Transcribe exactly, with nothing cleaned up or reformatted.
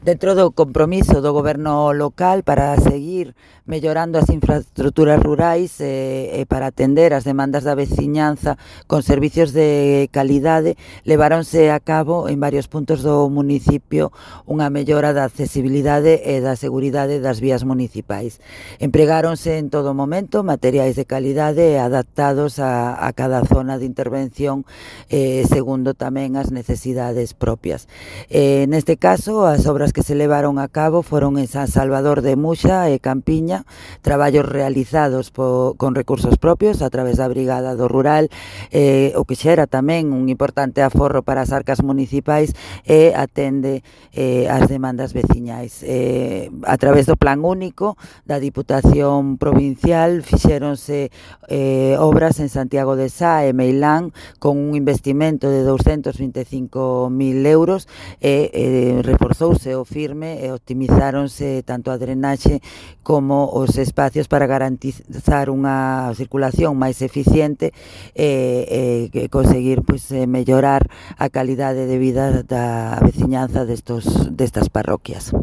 Dentro do compromiso do goberno local para seguir mellorando as infraestruturas rurais e, e para atender as demandas da veciñanza con servicios de calidade, leváronse a cabo en varios puntos do municipio unha mellora da accesibilidade e da seguridade das vías municipais. Empregáronse en todo momento materiais de calidade adaptados a, a cada zona de intervención eh, segundo tamén as necesidades propias. Eh, neste caso, as obras que se levaron a cabo foron en San Salvador de Muxa e Campiña, traballos realizados po, con recursos propios a través da Brigada do Rural, eh, o que xera tamén un importante aforro para as arcas municipais e atende eh, as demandas veciñais. Eh, a través do Plan Único da Diputación Provincial fixéronse eh, obras en Santiago de Sá e Meilán con un investimento de douscentos vinte e cinco mil euros e eh, reforzouse o firme e optimizáronse tanto a drenaxe como os espacios para garantizar unha circulación máis eficiente e, e conseguir pois, mellorar a calidade de vida da veciñanza destos, destas parroquias.